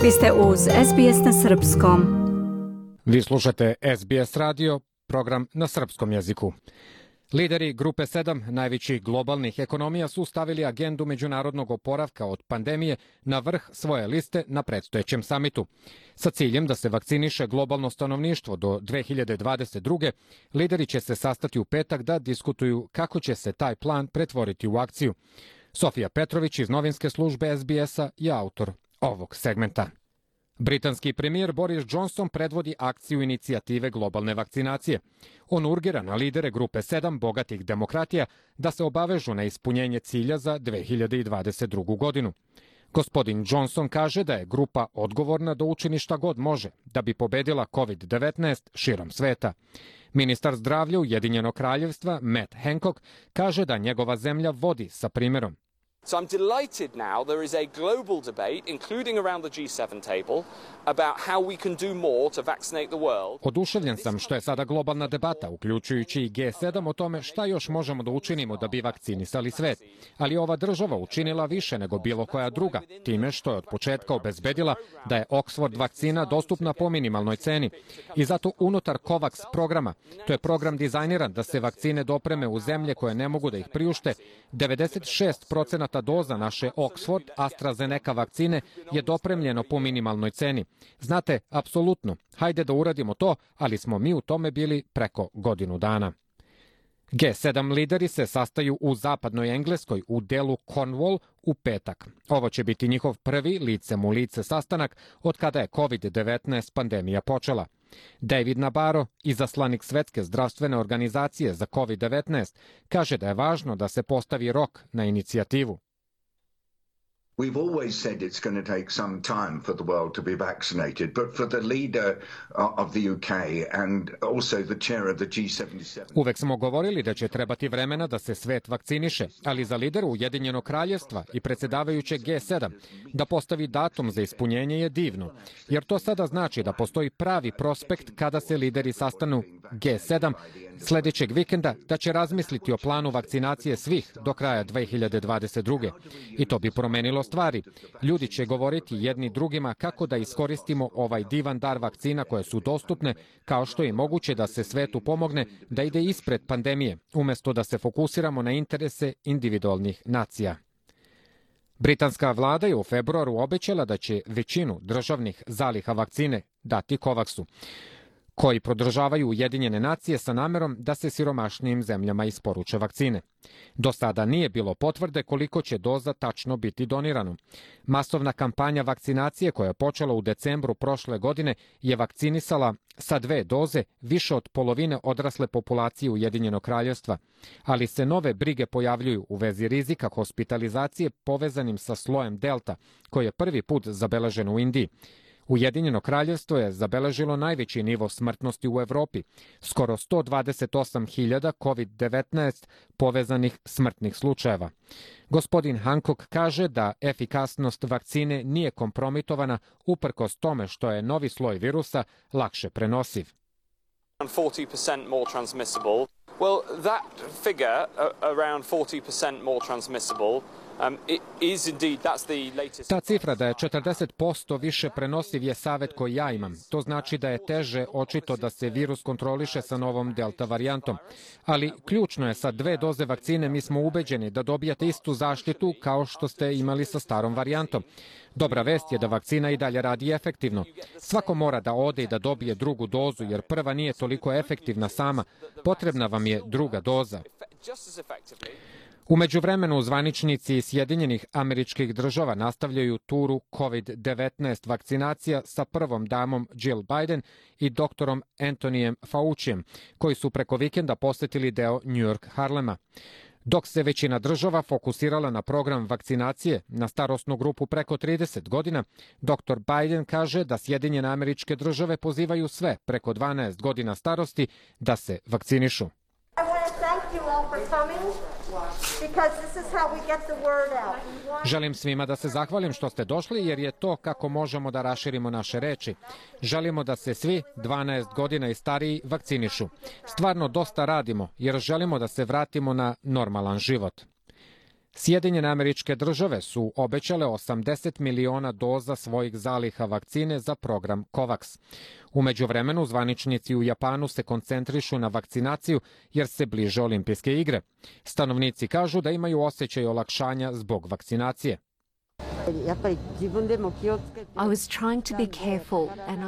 Vi ste uz SBS na srpskom. Vi slušate SBS radio, program na srpskom jeziku. Lideri Grupe 7 najvećih globalnih ekonomija su stavili agendu međunarodnog oporavka od pandemije na vrh svoje liste na predstojećem samitu. Sa ciljem da se vakciniše globalno stanovništvo do 2022. lideri će se sastati u petak da diskutuju kako će se taj plan pretvoriti u akciju. Sofija Petrović iz novinske službe SBS-a je autor ovog segmenta. Britanski premijer Boris Johnson predvodi akciju inicijative globalne vakcinacije. On urgira na lidere Grupe 7 bogatih demokratija da se obavežu na ispunjenje cilja za 2022. godinu. Gospodin Johnson kaže da je grupa odgovorna da učini šta god može da bi pobedila COVID-19 širom sveta. Ministar zdravlja Ujedinjenog kraljevstva Matt Hancock kaže da njegova zemlja vodi sa primjerom. So I'm delighted now there is a global debate, including around the G7 table, about how we can do more to vaccinate the world. Oduševljen sam što je sada globalna debata, uključujući i G7, o tome šta još možemo da učinimo da bi vakcinisali svet. Ali ova država učinila više nego bilo koja druga, time što je od početka obezbedila da je Oxford vakcina dostupna po minimalnoj ceni. I zato unutar COVAX programa, to je program dizajniran da se vakcine dopreme u zemlje koje ne mogu da ih priušte, 96% doza naše Oxford AstraZeneca vakcine je dopremljeno po minimalnoj ceni. Znate, apsolutno, hajde da uradimo to, ali smo mi u tome bili preko godinu dana. G7 lideri se sastaju u zapadnoj Engleskoj u delu Cornwall u petak. Ovo će biti njihov prvi licem u lice sastanak od kada je COVID-19 pandemija počela. David Nabarro, izaslanik Svetske zdravstvene organizacije za COVID-19, kaže da je važno da se postavi rok na inicijativu. We've always said it's going to take some time for the world to be vaccinated, but for the leader of the UK and also the chair of the G77. Uvek smo govorili da će trebati vremena da se svet vakciniše, ali za lidera Ujedinjenog kraljevstva i predsjedavajućeg G7 da postavi datum za ispunjenje je divno, jer to sada znači da postoji pravi prospekt kada se lideri sastanu G7 sljedećeg vikenda da će razmisliti o planu vakcinacije svih do kraja 2022. I to bi promenilo stvari. Ljudi će govoriti jedni drugima kako da iskoristimo ovaj divan dar vakcina koje su dostupne, kao što je moguće da se svetu pomogne da ide ispred pandemije, umjesto da se fokusiramo na interese individualnih nacija. Britanska vlada je u februaru obećala da će većinu državnih zaliha vakcine dati COVAX-u, koji podržavaju Ujedinjene nacije sa namerom da se siromašnijim zemljama isporuče vakcine. Do sada nije bilo potvrde koliko će doza tačno biti donirano. Masovna kampanja vakcinacije koja je počela u decembru prošle godine je vakcinisala sa 2 doze više od polovine odrasle populacije Ujedinjenog kraljevstva, ali se nove brige pojavljuju u vezi rizika hospitalizacije povezanim sa slojem Delta, koji je prvi put zabeležen u Indiji. Ujedinjeno kraljevstvo je zabeležilo najveći nivo smrtnosti u Evropi, skoro 128.000 COVID-19 povezanih smrtnih slučajeva. Gospodin Hancock kaže da efikasnost vakcine nije kompromitovana uprkos tome što je novi sloj virusa lakše prenosiv. 40% more transmissible. Well, that figure around 40% more transmissible is indeed, that's the latest. Ta cifra da je 40% više prenosiv je savjet koji ja imam. To znači da je teže očito da se virus kontroliše sa novom delta varijantom. Ali ključno je sa 2 doze vakcine mi smo ubeđeni da dobijate istu zaštitu kao što ste imali sa starom varijantom. Dobra vest je da vakcina i dalje radi efektivno. Svako mora da ode i da dobije drugu dozu jer prva nije toliko efektivna sama. Potrebna vam je druga doza. U međuvremenu zvaničnici iz Sjedinjenih Američkih Država nastavljaju turu COVID-19 vakcinacija sa prvom damom Jill Biden i doktorom Anthonyjem Faucijem, koji su preko vikenda posjetili deo New York Harlema. Dok se većina država fokusirala na program vakcinacije na starosnu grupu preko 30 godina, dr. Biden kaže da Sjedinjene Američke Države pozivaju sve preko 12 godina starosti da se vakcinišu. Želim svima da se zahvalim što ste došli jer je to kako možemo da raširimo naše reči. Želimo da se svi 12 godina i stariji vakcinišu. Stvarno dosta radimo jer želimo da se vratimo na normalan život. Sjedinjene Američke Države su obećale 80 miliona doza svojih zaliha vakcine za program COVAX. U međuvremenu zvaničnici u Japanu se koncentrišu na vakcinaciju jer se bliže olimpijske igre. Stanovnici kažu da imaju osjećaj olakšanja zbog vakcinacije.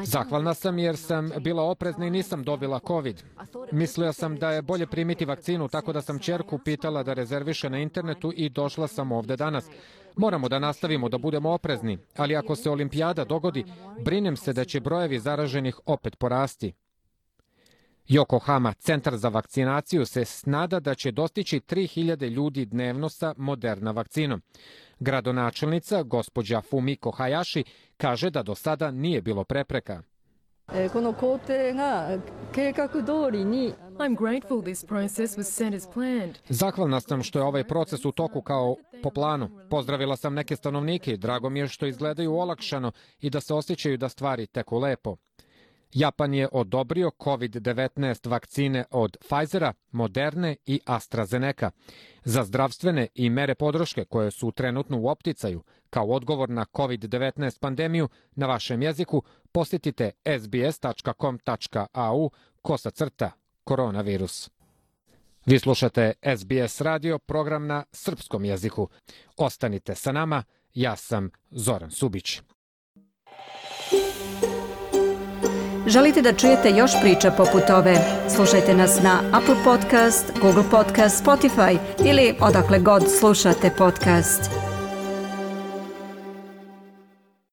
Zahvalna sam jer sam bila oprezna i nisam dobila COVID. Mislila sam da je bolje primiti vakcinu, tako da sam ćerku pitala da rezerviše na internetu i došla sam ovde danas. Moramo da nastavimo da budemo oprezni, ali ako se olimpijada dogodi, brinem se da će brojevi zaraženih opet porasti. Yokohama, centar za vakcinaciju, se nada da će dostići 3000 ljudi dnevno sa Moderna vakcinom. Gradonačelnica, gospođa Fumiko Hayashi, kaže da do sada nije bilo prepreka. Zahvalna sam što je ovaj proces u toku kao po planu. Pozdravila sam neke stanovnike i drago mi je što izgledaju olakšano i da se osjećaju da stvari teku lepo. Japan je odobrio COVID-19 vakcine od Pfizera, Moderne i AstraZeneca. Za zdravstvene i mere podrške koje su trenutno u opticaju kao odgovor na COVID-19 pandemiju na vašem jeziku, posjetite sbs.com.au/koronavirus. Vi slušate SBS radio, program na srpskom jeziku. Ostanite sa nama, ja sam Zoran Subić. Želite da čujete još priča poput ove? Slušajte nas na Apple Podcast, Google Podcast, Spotify ili odakle god slušate podcast.